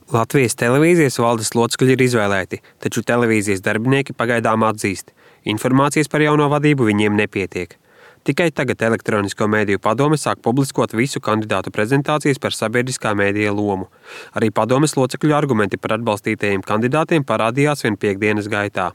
Latvijas televīzijas valdes locekļi ir izvēlēti, taču televīzijas darbinieki pagaidām atzīst, informācijas par jauno vadību viņiem nepietiek. Tikai tagad Elektronisko mēdīju padome sāk publiskot visu kandidātu prezentācijas par sabiedriskā mēdīja lomu. Arī padomes locekļu argumenti par atbalstītajiem kandidātiem parādījās vien piektdienas gaitā.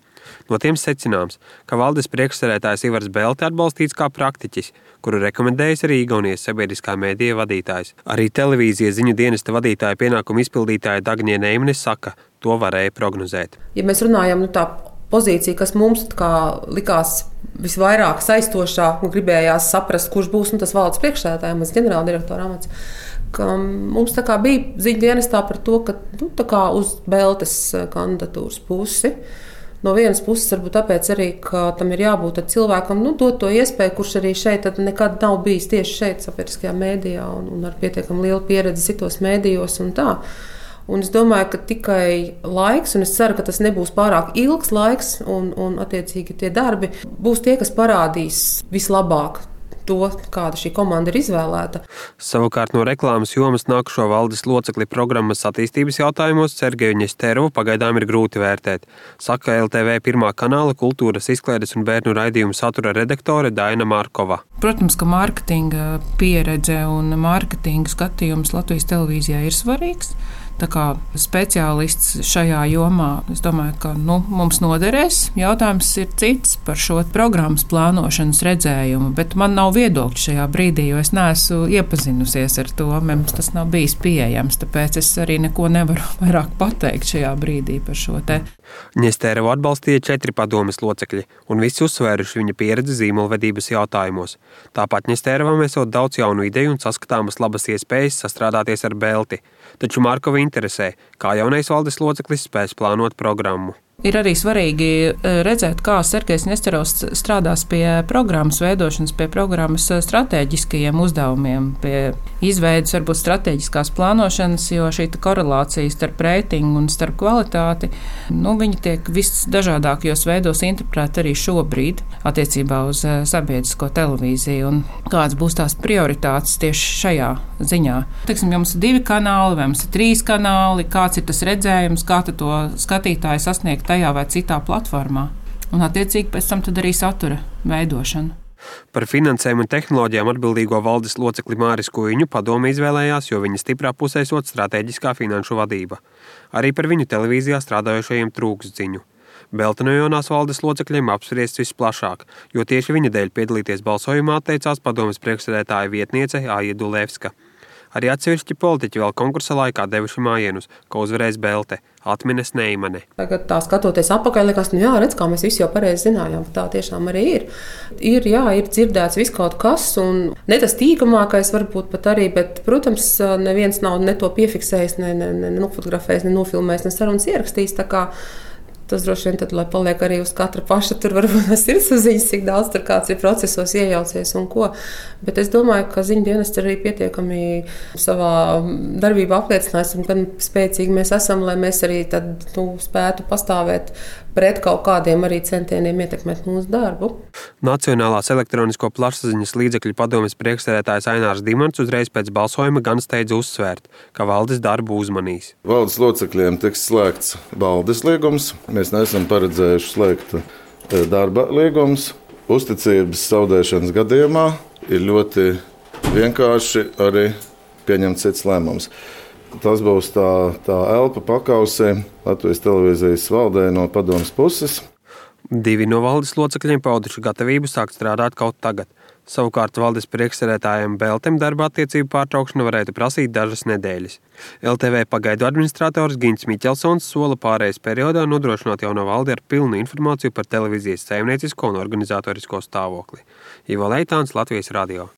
No tiem secināms, ka valdes priekšsēdētājs Ivars Belte atbalstīts kā praktiķis, kuru rekomendējis arī Igaunijas sabiedriskā mēdīja vadītājs. Arī televīzijas ziņu dienesta vadītāja pienākumu izpildītāja Dagnija Neimane saka, to varēja prognozēt. Ja mēs runājam, tā pozīcija, kas mums likās visvairāk saistošā un gribējās saprast, kurš būs tas valdes priekšsēdētājs, ģenerāldirektora amats, ka mums bija ziņu dienestā par to, ka uz Beltes kandidatūras pusi. No vienas puses, varbūt tāpēc arī, ka tam ir jābūt cilvēkam, dot to iespēju, kurš arī šeit nekad nav bijis tieši šeit, sabiedriskajā mēdījā, un ar pietiekami lielu pieredzi citos mēdījos un tā. Un es domāju, ka tikai laiks, un es ceru, ka tas nebūs pārāk ilgs laiks, un attiecīgi tie darbi būs tie, kas parādīs vislabāk to, kāda šī komanda ir izvēlēta. Savukārt no reklāmas jomas nākušo valdes locekli programmas attīstības jautājumos Sergeju Ņesterovu pagaidām ir grūti vērtēt, saka LTV pirmā kanāla kultūras, izklaides un bērnu raidījumu satura redaktore Daina Markova. Protams, ka mārketinga pieredze un mārketinga skatījums Latvijas televīzijā ir svarīgs. Tā kā speciālists šajā jomā, es domāju, ka mums noderēs. Jautājums ir cits par šo programmas plānošanas redzējumu, bet man nav viedokļa šajā brīdī, jo es neesmu iepazinusies ar to. Mums tas nav bijis pieejams, tāpēc es arī neko nevaru vairāk pateikt šajā brīdī par šo te. Ņesterovu atbalstīja 4 padomes locekļi, un visi uzsvēruši viņa pieredzi zīmolvedības jautājumos. Tāpat Ņesterovam esot daudz jaunu ideju un saskatāmas labas iespējas sastrādāties ar Belti. Taču Markova interesē, kā jaunais valdes loceklis spēs plānot programmu. Ir arī svarīgi redzēt, kā Sergejs Ņesterovs strādās pie programmas veidošanas, pie programmas stratēģiskajiem uzdevumiem, pie izveidas varbūt stratēģiskās plānošanas, jo šī korelācija starp reitingu un starp kvalitāti, viņa tiek visdažādākajos veidos interpretēta arī šobrīd attiecībā uz sabiedrisko televīziju un kādas būs tās prioritātes tieši šajā ziņā. Teiksim, jums ir 2 kanāli, vai jums ir 3 kanāli, kāds ir tas redzējums, kā to skatītāju sasniegt tajā vai citā platformā, un attiecīgi pēc tam tad arī satura veidošana. Par finansēm un tehnoloģijām atbildīgo valdes locekli Māris Kuiņu padome izvēlējās, jo viņa stiprā pusē esot stratēģiskā finanšu vadība. Arī par viņu televīzijā strādājošajiem trūkst ziņu. Belte no jaunās valdes locekļiem apspriests visplašāk, jo tieši viņa dēļ piedalīties balsojumā atteicās padomes priekšsēdētāja vietniece Aija Dulevska. Arī atsevišķi politiķi vēl konkursa laikā devuši mājienus, ka uzvarēs Belte, atminas Neimane. Tagad tā skatoties atpakaļ, liekas, redz, kā mēs visi jau pareizi zinājām, tā tiešām arī ir. Ir dzirdēts viss kaut kas, un ne tas tīkamākais varbūt pat arī, bet, protams, neviens nav ne to piefiksējis, ne nofotografējis, ne nofilmējis, ne sarunas ierakstījis, tā kā tas droši vien tad, lai paliek arī uz katra paša, tur varbūt sirdsapziņas, cik daudz tur kāds ir procesos iejaucies un ko. Bet es domāju, ka ziņu dienests arī pietiekami savā darbībā apliecinājis, un gan spēcīgi mēs esam, lai mēs arī tad spētu pastāvēt pret kaut kādiem arī centieniem ietekmēt mūsu darbu. Nacionālās elektronisko plašsaziņas līdzekļu padomes priekšsēdētājs Ainārs Dimants uzreiz pēc balsojuma gan steidz uzsvērt, ka valdes darbu uzmanīs. Valdes locekļiem tiks slēgts valdes līgums. Mēs neesam paredzējuši slēgt darba līgumus. Uzticības zaudēšanas gadījumā ir ļoti vienkārši arī pieņemt cits lēmums. Tas būs tā elpa pakausē Latvijas televīzijas valdē no padomes puses. 2 no valdes locekļiem pauduši gatavību sākt strādāt kaut tagad. Savukārt valdes priekšsēdētājiem Beltem darba attiecību pārtraukšana varētu prasīt dažas nedēļas. LTV pagaidu administrators Gints Miķelsons sola pārējais periodā nodrošināt jauno valdi ar pilnu informāciju par televīzijas saimniecisko un organizatorisko stāvokli. Ivo Leitāns, Latvijas radio.